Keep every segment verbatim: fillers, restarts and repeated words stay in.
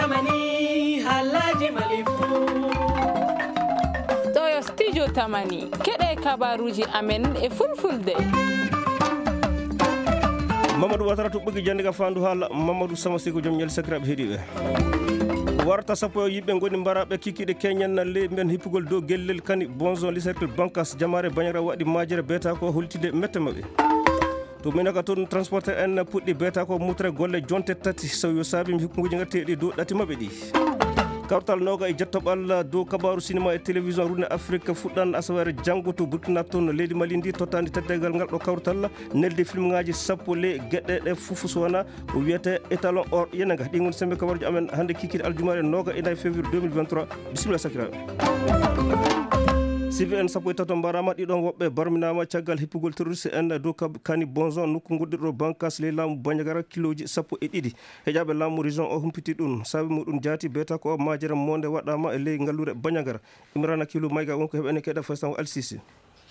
Tamani, haalaaji Mali fuu. Ɗo yo Studio Tamani. Keɗe kabaruuji amen e Fulfulde. Mamadou Watara to ɓoggi jannde ka faandu haala. Mamadou Sama Sey ko joom ñalli sakiraaɓe heɗiiɓe. Warta sappo e yimɓe ngoni mbaraaɓe kikiiɗe keñen na ley mben hippugol dow gellel kani Bonzon Liserkel Bankas jamaare Bañara waɗi maajere beeta ko holtide mette maɓɓe. To Minaka toon, transporteur en puɗɗi beeta ko mutre golle jonte tati, so yo saabi hikkuji ngatteeɗi dow ɗati maɓɓe ɗi. Kawtal nooga e jettoɓal dow kabaaru sinema e télévision Rune Afrique fuɗɗan asawaare janngo to Burkina toon leydi Mali ndi tottaandi teddeegal ngal ɗo kawtal neldi filmŋaaji sappo ley geɗe ɗe fof so wona ko wiyetee étalon or yenanga. Ɗi ngoni sembe kabaruji amen hannde kikiiɗe aljumaare nooga e nayi février deux mille vingt-trois. Bisimilla sakiraaɓe. Sibi en sappo e tato mbarama, ɗiɗon woɓɓe barminaama caggal hippugol terroriste en dow kab-, kani Bonzon, nokku goɗɗirɗo bankas ley laamu Bandiagara, kilooji sappo e ɗiɗi. Heƴaaɓe laamu région o humpiti ɗum. Saabi muɗum jaati beeta ko majere monde waɗaama e ley ngalluure Bandiagara. Imrana Kilo Mayga wonko heɓene keɗa Faysal Al Sisi.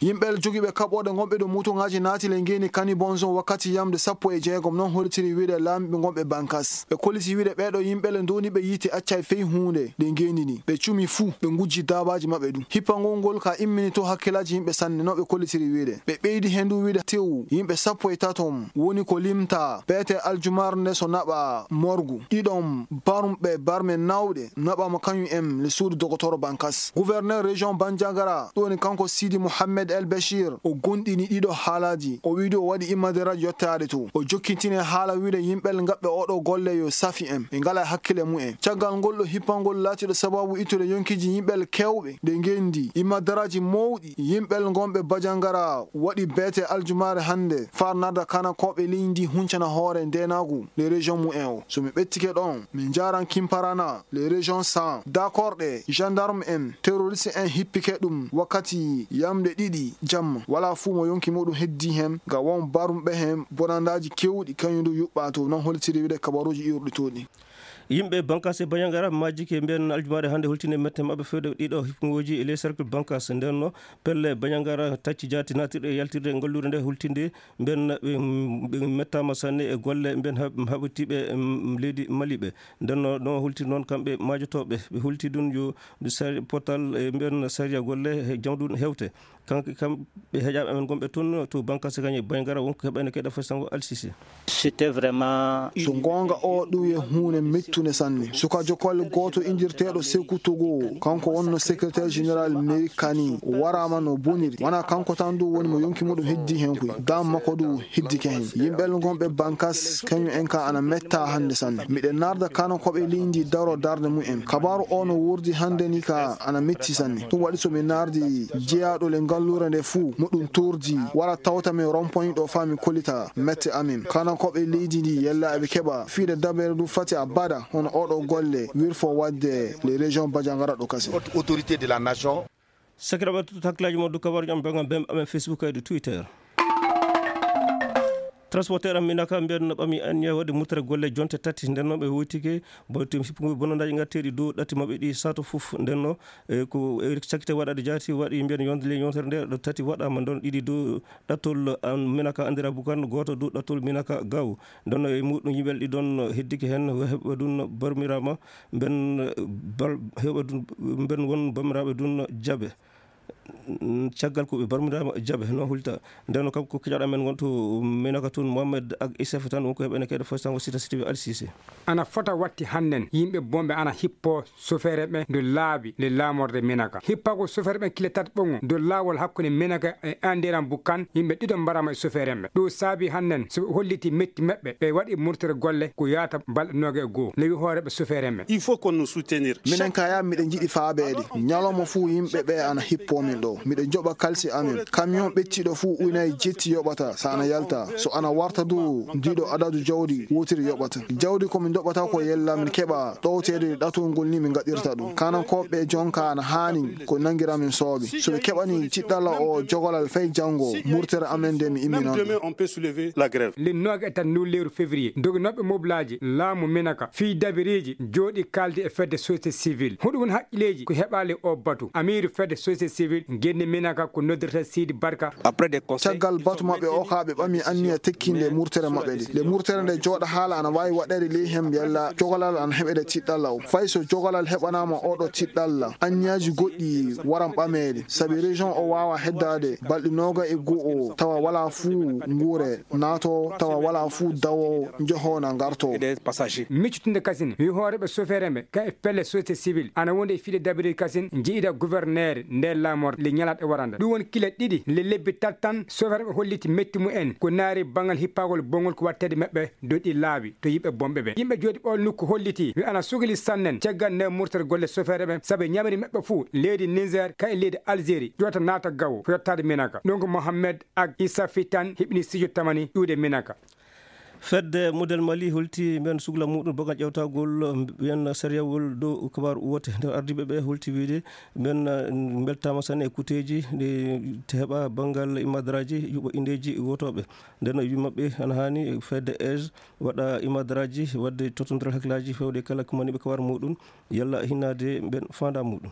Yimɓe jogiiɓe kaɓooɗe ngonɓe dow motoŋaaji naati ley ngeeni kani Bonzon wakkati yamde sappo e jeegom, non hollitiri wiide laamiiɓe ngonɓe bankas. Ɓe kolliti wiide ɓeeɗo yimɓe le ndowniiɓe yiite accay fey huunde ley ngeeni ndi. Ɓe cumi fuu, ɓe ngujji daabaaji maɓɓe ɗum. Hippangol ngol ka immini to hakkilaaji yimɓe sanne, no ɓe kollitiri wiide. Ɓe ɓeydi heen du wiide tew yimɓe sappo e tato woni ko limta beete aljumaare nde so naɓa morgu. Ɗiɗon barumɓe barme nawɗe naɓaama kañum en le suudu dogotoro bankas. Gouverneur région Bandiagara, ɗum woni kanko Sidi Mohamed El Bechir, o gonɗini ɗiɗo haalaaji. O wiidi o waɗi immaderaaji yottaade to. O jokkintini haala wiide yimɓe ngaɓɓe oɗo golle yo safi en. Ɓe ngala hakkile mumen. Caggal ngol ɗo hippangol laatiɗo sababu ittude yonkiiji yimɓe keewɓe de ngenndi. Immaderaaji mawɗi yimɓe ngonɓe Bandiagara waɗi beete aljumaare hannde far narda kanakooɓe leydi huncana hoore ndeenaagu le région mumen o. So mi ɓettike ɗon, min njaaran Kimparana, les régions cent, dakorɗe, gendarme en, terroriste en hippike ɗum wakkati yamde ɗiɗi jamma. Walaa fuu mo yonki muɗum heddi heen, nga won barumɓe heen bonandaaji keewɗi, kañum du yuɓɓaa to, non hollitiri wiide kabaruuji iwruɗi to ɗi. Yimɓe Bankas e Bandiagara majjike mbiyen aljumaare hannde holtinde mette maɓɓe fewde ɗiɗo hipnooji e les cercle Bankas. Nden no pelle Bandiagara tacci jaati naatirɗe e yaltirde e ngalluure nde holtinde mbiyen ɓe, ɓe mettaama sanne e golle mbiyen hab-, haɓitiiɓe, em, leydi Mali ɓe. Nden no, no holti noon kamɓe maajotooɓe. Ɓe holti ɗum yo sari-, potal e mbiyen sariya golle he jawdun hewte. Kanko kam ɓe heƴaaɓe amen gonɓe toon to Bankas Kañe Bandiagara wonko heɓayno keɗa fo sango Al Sisi. C'était vraiment une... So goonga o ɗum yo huunde mettunde sanne. Sukajo kolle gooto indirteeɗo Sekou Togo, kanko wonno secrétaire général mairie Kani, o waraama no boniri. Wona kanko tan du woni mo yonki muɗum heddi heen koy. Dam makko du heddike heen. Yimɓe gonɓe Bankas, kañum en ka ana metta hannde sanne. Miɗen narda kano ko ɓe leydi daro darde mumen. Kabaaru o no wurdi hannde ni ka ana metti sanne. Ɗum waɗi so mi nardi jeyaaɗo le ngalluure nde fuu, muɗum turdi, wara tawta mi rompoñ ɗo faa mi kollita mette amin. Kano ko ɓe leydi ndi yella eɓe keɓa fiide dabere du fati a baɗa hono oɗo golle wirfo waɗde le région Bandiagara ɗo kasi. Haute autorité de la nation. Sakiraaɓe, tuttu hakkilaaji mon dow kabaruuji am, banngal bem amen Facebook e dow Twitter. Transporteur am Minaka mbiyen no ɓami anniya waɗde murtere golle jonte tati. Nden noon ɓe woytike, boytu hippugo bonandaaji ngatteeɗi dow ɗatti maɓɓe ɗi sato fof. Nden no, e, ko, e, cakkite waɗaade jaati waɗi mbiyen yonde le yontere nde ɗo tati waɗaama, nden ɗiɗi dow ɗattol an Minaka anndira Bukan, gooto dow ɗattol Minaka Gaw. Nden no e muɗum yimɓe ɗi ɗon heddike heen, heɓa ɗum barmiraama, mben, bal-, heɓa ɗum, mben won barmiraaɓe ɗum jaɓe. Mm, caggal ko ɓe barmiraama jaɓe, no hulta. Nden kam ko kijaɗo amen wonto Minaka toon, Mohamed ak Isef tan wonko heɓene keɗe fof tan o sita siti ɓe Al Sisi. Ana fota watti hannden yimɓe bonɓe ana hippo sofeere ɓe ndo laabi le laamorde Minaka. Hippagol sofeere ɓe kile tati ɓoŋo ndo laawol hakkunde Minaka e Andiran Bukan, yimɓe ɗiɗo mbaraama e sofeere ɓe. Ɗo saabi hannden so ɓe holliti metti maɓɓe, ɓe waɗi murtere golle ko yaata balɗe nooga e goo. Lewi hooreeɓe sofeere ɓe. Il faut qu'on nous soutenir. Minen kaya miɗen njiɗi faabeede. Ñalawma fuu yimɓe ɓe ana hippoo min ɗo. Miɗen njoɓa kalsi amin. Camion ɓettiiɗo fuu unaye jetti yoɓata so ana yalta. So ana warta du, ndiiɗo adadu jawdi wootiri yoɓata. Jawdi ko min ndoɓata ko yella min keɓa ɗowteede ɗatol ngol ni min ngaɗirta ɗum. Kanankooɓe jonka ana haani ko nanngira min soobe. So ɓe keɓani tiɗɗalla o jogolal fay janngo, murtere amen nde mi imminan. Même demain, on peut soulever la grève. Le nooga e tati ndu lewru février, doginooɓe moblaaji laamu Minaka fii dabireeji jooɗi kaaldi e fedde société civile. Huɗum woni haqqileeji ko heɓaali o batu. Amiiru fedde société civile Ngenne Minaka ko noddirta Sidi Barka. Après des conseils, caggal batu maɓɓe o ka ɓe ɓami anniya tekkinde murtere maɓɓe nde. Nde murtere nde jooɗa haala ana waawi waɗeede ley heen yalla jogalal ana heɓeede tiɗɗalla o. Fay so jogalal heɓanaama oɗo tiɗɗalla, anniyaaji goɗɗi waran ɓameede. Sabi région o waawa heddaade balɗe nooga e go'o tawa walaa fuu nguure naato tawa walaa fuu dawo njoho na ngarto. Miccitinde kasin, wi hooreeɓe sofeer en ɓe, ka e pelle société civile, ana wonde e fiɗe dabirde kasin, njiida gouverneur nder laamorde le ñalaɗe warande. Ɗum woni kile ɗiɗi le lebbi tati tan, sofeer ɓe holliti metti mu en, ko naari banngal hippagol bonngol ko wattede maɓɓe dow ɗi laawi to yimɓe bonɓe ɓe. Yimɓe jooɗi ɓool nokku holliti, wi ana sugili sannen, caggal nde murtere golle sofeer ɓe, sabu ñamri maɓɓe fuu, leydi Niger, ka e leydi Algérie, ƴoota naata gawo, ko yottaade Minaka. Donc Mohamed ak Issa Fitan, hiɓni studio tamani iwde Minaka. Fedde Model Mali holti mbiyen sugla muɗum banngal ƴeewtagol mbiyen sariyawol dow kabaaru woote. Nder ardiiɓe ɓe holti wiyde mbiyen, eh, mbeltaama sanne e kuuteeji ɗi heɓa banngal imadaraaji yuɓa indeeji wootooɓe. Nden o wi maɓɓe ana haani fedde age waɗa imadaraaji waɗde tottondiral hakkillaaji fewde kala ko maniiɓe kabaaru muɗum yalla hinnaade mbiyen faandaa muɗum.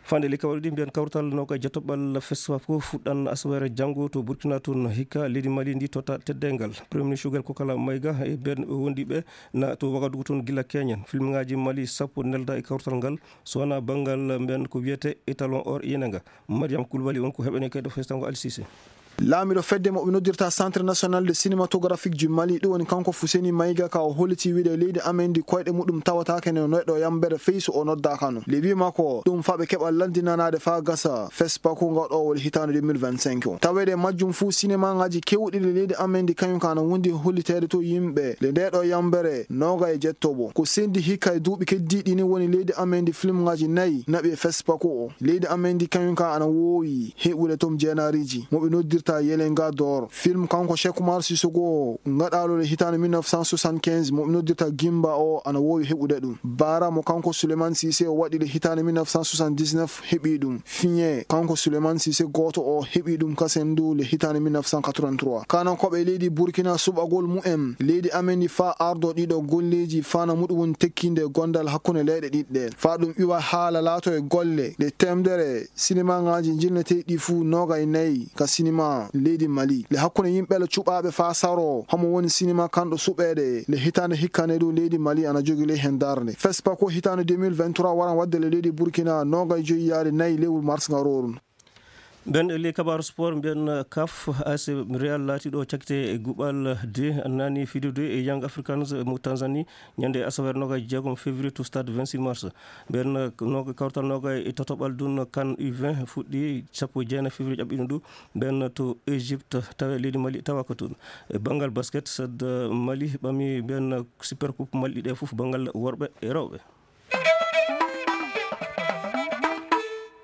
Fande ley kawri ɗi mbiyen kawtal noka jatoɓal fesfa ko fuɗɗan asawere janngo to Burkina toon hikka leydi Mali ndi totta teddeengal. Premier ministre Choguel Kokala Maïga e ɓen wondiɓe na to Wagadugu toon gila keñen. Filmŋaaji Mali sappo nelda e kawtal ngal, so wona banngal mbiyen ko wiyete étalon or yenenga. Mariam Koulibaly on ko heɓene kayɗo festango Al Cissé. Laamiiɗo fedde mo ɓe noddirta Centre National de Cinématographique du Mali, ɗum woni kanko Fuseni Maïga, ka o holliti wiide leydi amen ndi koyɗe muɗum tawataake no neɗɗo yambere fey so o noddaaka no. Le wi makko, ɗum fa ɓe keɓa lanndinanaade faa gasa, fespa ko ngaɗoowo le hitaande deux mille vingt-cinq o. Taweede majjum fuu, sinemaaŋaaji keewɗi le leydi amen ndi kañum ka ana wondi holliteede to yimɓe le ndee ɗoo yambere nooga e jettooɓo. Ko sendi hikka e duuɓi keddiiɗi ni woni leydi amen ndi filmŋaaji nayi naɓi e fespa ko o. Leydi amen ndi kañum ka ana woowi heɓude tom jeenaariiji mo ɓe noddirta Yelenga Dor. Film kanko Cheikh Oumar Sissoko ngaɗaalo le hitaande mille neuf cent soixante-quinze mo ɓe noddirta Gimba o ana woowi heɓude ɗum. Baara mo kanko Souleymane Cissé o waɗi le hitaande mille neuf cent soixante-dix-neuf heɓi ɗum. Fiñe kanko Souleymane Cissé gooto o heɓi ɗum kasen ndu le hitaande mille neuf cent quatre-vingt-trois. Kanankooɓe leydi Burkina suɓagol mu'en leydi amen ndi faa ardo ɗiɗo golleeji faana muɗum woni tekkinde gondal hakkunde leyɗe ɗiɗɗe. Faa ɗum iwa haala laato e golle ɗe temdere sinimaaŋaaji njilneteeɗi ɗi fuu nooga e nayi ka sinima leydi Mali. Le hakkunde yimɓe le cuɓaaɓe faa saro, homo woni sinima kanɗo suɓeede le hitaande hikkande dow leydi Mali ana jogi ley heen darnde. Fespa ko hitaande deux mille vingt-trois waran waɗde le leydi Burkina nooga e joyi yaade nayi lewru mars ngarooru. Ɓen e ley kabaaru sport, mbiyen kaf, A C Real laati ɗo cakkite e guɓal de, nani fidude e Young Africans mo Tanzanie, ñande asaweere nooga e jeegom février to stade vingt-six mars. Ɓen nooga, kawtal nooga e tatoɓal ɗum kan U vingt fuɗɗi sappo e jeenayi février ƴaɓɓiɗum ɗum. Ɓen to Égypte, tawa leydi Mali tawa ko toon. E banngal basket, sadda Mali ɓami ɓen Super Coupe Mali ɗe fof banngal worɓe e rewɓe.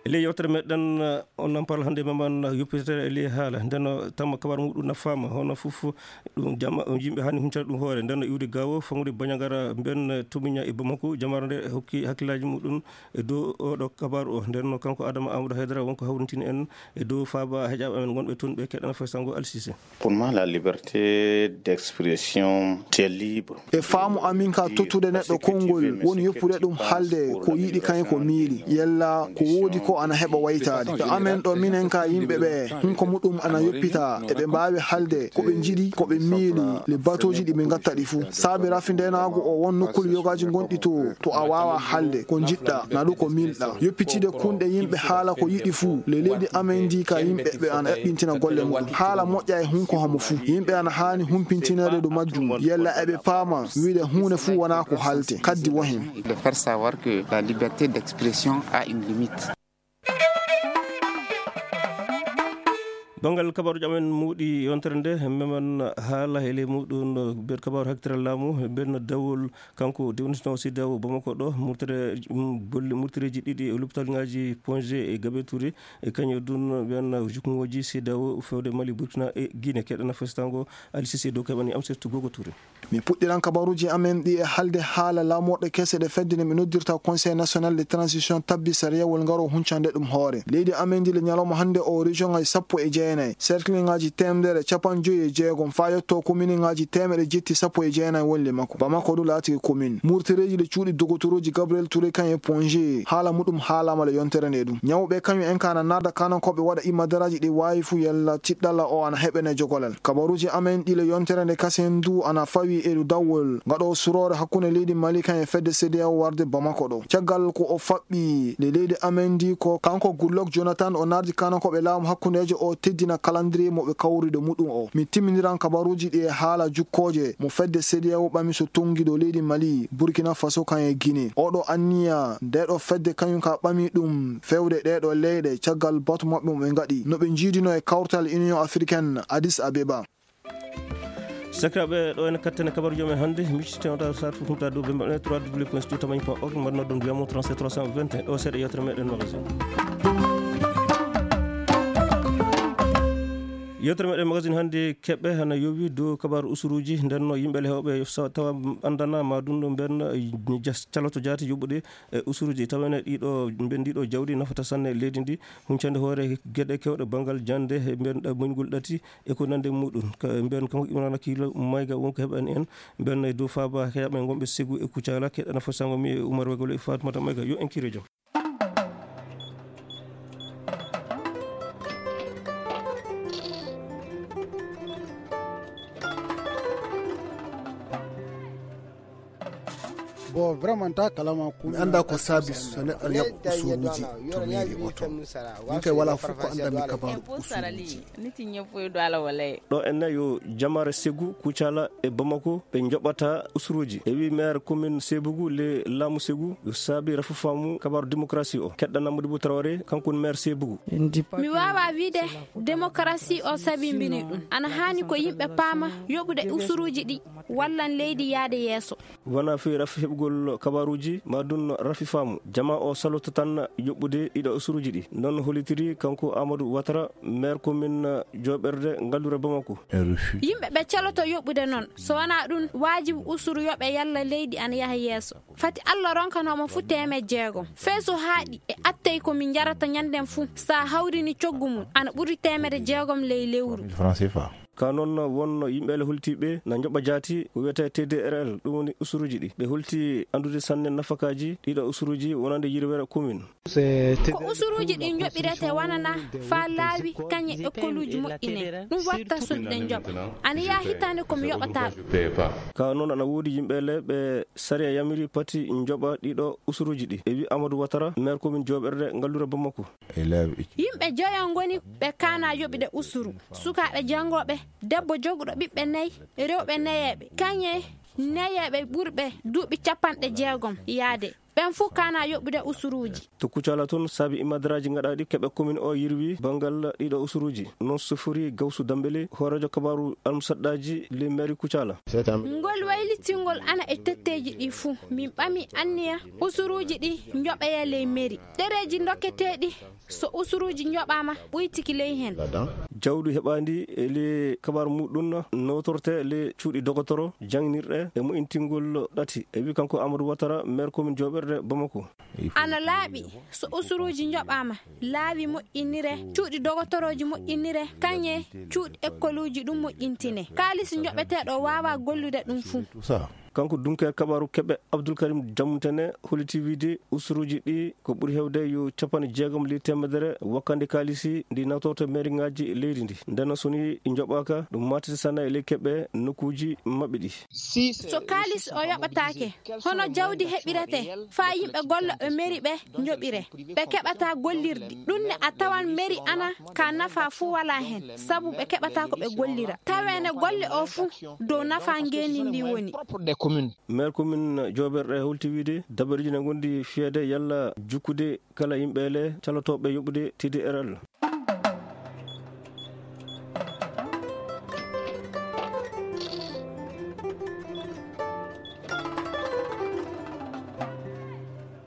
E ley yewtere meɗen, eh, on nampal hannde meman yoppitere e ley haala. Nden, eh, tamma kabar muɗum nafaama, hono fof ɗum jama, yimɓe hani huncata ɗum hoore. Nden iwde gawo, fangude Bandiagara, mben, eh, Tomiña e Bamako, jamara nde hokki hakkillaaji muɗum e dow oɗo kabar o. Nden kanko Adama Amadou Haydara wonko hawrintini en e dow faaba heƴaaɓe amen wonɓe toon ɓe keɗana fay sango Alsise. Pour moi, la liberté d'expression, c'est libre. E faamu amin ka tottude neɗɗo konngol, woni yoppude ɗum haalde ko yiɗi kañum ko miili, yalla ko woodi ko ana heɓa waytaade. Yo amen ɗo minen ka yimɓe ɓe, hunko muɗum ana yoppita, eɓe mbaawi haalde ko ɓe njiɗi, ko ɓe miili, le batooji ɗi ɓe ngatta ɗi fuu. Saabi rafi ndeenaagu o won nokkuuli yogaaji ngonɗi to, to a waawa haalde ko njiɗɗa, na ɗum ko miilɗa. Yoppitide kunɗe yimɓe haala ko yiɗi fuu, le leydi amen ndi ka yimɓe ɓe ana eɓɓintina golle muɗum. Haala moƴƴa e hunko homo fuu. Yimɓe ana haani humpintineede dow majjum. Yalla eɓe paama wiide huunde fuu wonaa ko haalte. Kaddi wo heen. De faire savoir que la liberté d'expression a une limite. Banngal kabaruuji amen muɗi yontere nde, memen haala e ley muɗum, ɓen kabaaru hakkitere laamu, ɓen dawol kanko dewnisnoo C D A O Bamako ɗo, murtere, mm, bolle murtereeji ɗiɗi e lopital ŋaaji Ponge e Gabe Touré, e kañum ɗum ɓen jukngooji C D A O fewde Mali, Burkina e Guinée. Keɗana festango Ali Cissé dow keɓani am surtout Gogo Touré. Mi puɗɗiran kabaruuji amen ɗi e haalde haala laamorɗe kese ɗe fedde nde mi noddirta Conseil National de Transition tabbi sariyawol ngaro huncande ɗum hoore. Leydi amen ndi le ñalawma hannde o région ngaji sappo e jeenayi, cercle ngaji teemedere capanɗe joyi e jeegom, faa yetto commune ngaji teemeɗɗe jetti sappo e jeenayi wonle makko. Bamako du laati commune. Murtereeji le cuuɗi dogotorooji Gabriel Touré kan e Ponge, haala muɗum haalaama le yontere nde ɗum. Ñawɓe kañum en ka ana naada kaanankooɓe waɗa imma daraaji ɗi waawi fu yalla tiɗɗalla o ana heɓene jogolal. Kabaruuji amen ɗi le yontere nde kasen du ana fawi e du dawwol ngaɗo suroore hakkunde leydi Mali kan e fedde C D A O warde Bamako ɗo. Caggal ko o faɓɓi le leydi amen ndi ko kanko Goodluck Jonathan o naardi kaanankooɓe laamu hakkundeejo o teddina calendrier mo ɓe kawrude muɗum o. Mi timminiran kabaruuji ɗi e haala jukkooje mo fedde C D A O ɓami so tonngi ɗo leydi Mali, Burkina Faso kan e Guinée. Oɗo anniya nde ɗo fedde kañum ka ɓami ɗum fewde ɗee ɗo leyɗe caggal batu maɓɓe mo ɓe ngaɗi no ɓe njiidino e kawtal Union Africaine Addis Abeba. Sakiraaɓe, ɗo ene kattene kabaruuji men hannde, miccitenoɗa sar fof humta dow ɓe mbaɗa trois W point studio tamani point org, mbaɗa noddon wiyamo trente-sept trois cent vingt et un, ɗo seeɗa yewtere meɗen magazine. Yewtere meɗen magazine hannde keɓɓe hana yowi dow kabaru usuruuji, nden no yimɓe le hewɓe so tawa anndana ma ɗum ɗo mben jas-, caloto jaati yoɓude e usuruuji, tawa ene ɗiɗo, mben ɗiɗo jawdi nafata sanne leydi ndi, huncande hoore geɗe kewɗe banngal jannde, e mben ɗa-, muñgol ɗati, e ko nande muɗum. Ka-, mbiyan kanko Imrana Kiilo Mayga wonko heɓani en. Mbiyan e dow faaba heɓɓe wonɓe Segu e Kucala, keɗana fo sango mi e Umar Wegolo e Fatmata Mayga. Yo en kiire jam. Bon, vraiment, ta kalama. Mi annda ko saabi so neɗɗo ene yaɓa usuruuji to mairie o to. Min kay wala fof ko anndanmi kabaru usuruuji. Ɗo enne yo jamaare Segu, Kucala e Bamako ɓe njoɓata usuruuji. E wi maire commune Sebugu le laamu Segu yo saabi rafu faamu kabaru démocratie o. Keɗɗa Namudi Bu Traoré, kanko woni maire Sebugu. Mi waawaa wiide démocratie o sabimbini ɗum. Ana haani ko yimɓe paama yoɓude usuruuji ɗi wallan leydi yaade yeeso. Wona fii rafi heɓugol kabaruuji, ma ɗum rafi faamu. Jama o saloto tan yoɓude ɗiɗo usuruuji ɗi. Noon hollitiri kanko Amadou Ouattara, maire commune jooɓerde ngallure Bamako. Yimɓe ɓe caloto yoɓude noon. So wonaa ɗum, waajibu usuru yoɓe yalla leydi ana yaha yeeso. Fati Alla ronkanoo mo fuu teemedde jeegom. Fee so haaɗi e attey ko min njarata ñannden fuu, so a hawrini coggu mum, ana ɓuri teemedde jeegom ley lewru. Ka noon won yimɓe le holtiiɓe na njoɓa jaati ko wiyetee T D R L, ɗum woni usuruuji ɗi. Ɓe holti anndude sanne nafakaaji ɗiɗo usuruuji wonande yirwere commune. Ko usuruuji ɗi njoɓirete wonana faa laawi kañe ekkoluuji moƴƴine. Ɗum watta suuɗi ɗe njoɓa. Ana yaha hitaande ko mi yoɓataa ɗum. Ka noon ana woodi yimɓe le ɓe sariya yamiri pati njoɓa ɗiɗo usuruuji ɗi. E wi Amadou Ouattara, maire commune jooɓerde ngallure Bamako. Yimɓe joyo ngoni ɓe kaana yoɓude usuru. Sukaaɓe janngooɓe, debbo joguɗo ɓiɓɓe nayi, rewɓe nayeeɓe, kañe nayeeɓe ɓurɓe duuɓi capanɗe jeegom yaade. Ɓen fuu kaana yoɓude usuruuji. To Kucala toon, saabi imadaraaji ngaɗaaɗi keɓe commune o yirwi banngal ɗiɗo usuruuji. Noon sofori Gawsu Dambele, hooreejo kabaru almusadɗaaji le maire Kucala. Ngol waylitingol ana e tetteeji ɗi fuu. Min ɓami anniya usuruuji ɗi njoɓeya ley mairie. Ɗereeji dokketeeɗi so usuruuji njoɓaama ɓuytiki ley heen. Jawdi heɓaandi e le kabaru muɗum nootorte le cuuɗi dogotoro, jangnirɗe e moƴƴintingol ɗati. E wi kanko Amadou Ouattara, maire commune jooɓerde Bamako. Ana laaɓi so usuruuji njoɓaama, laawi moƴƴinire, cuuɗi dogotorooji moƴƴinire, kañe cuuɗi ekkoluuji ɗum moƴƴintine. Kaalis njoɓeteeɗo waawaa gollude ɗum fuu. Kanko dunkeer kabaru keɓe Abdoul Karim Diamoutene holliti wiide usuruuji ɗi ko ɓuri heewde yo capanɗe jeegom ley teemedere wakkande kaalisi ndi nawtorto mairiŋaaji leydi ndi. Ndeen so ni ɗi njoɓaaka, ɗum maatete sanne e ley keɓe nokkuuji maɓɓe ɗi. So kaalis o yoɓataake, hono jawdi heɓiretee faa yimɓe gollooɓe mairie ɓe njoɓire? Ɓe keɓataa gollirdi. Ɗum ne a tawan mairie ana ka nafa fuu walaa heen, sabu ɓe keɓataa ko ɓe gollira. Taweene golle o fuu dow nafa ngeenndi ndi woni. Maire commune jooɓerde holti wiide dabareeji ne ngondi fiyeede yalla jukkude kala yimɓe le calotooɓe yoɓude T D R L.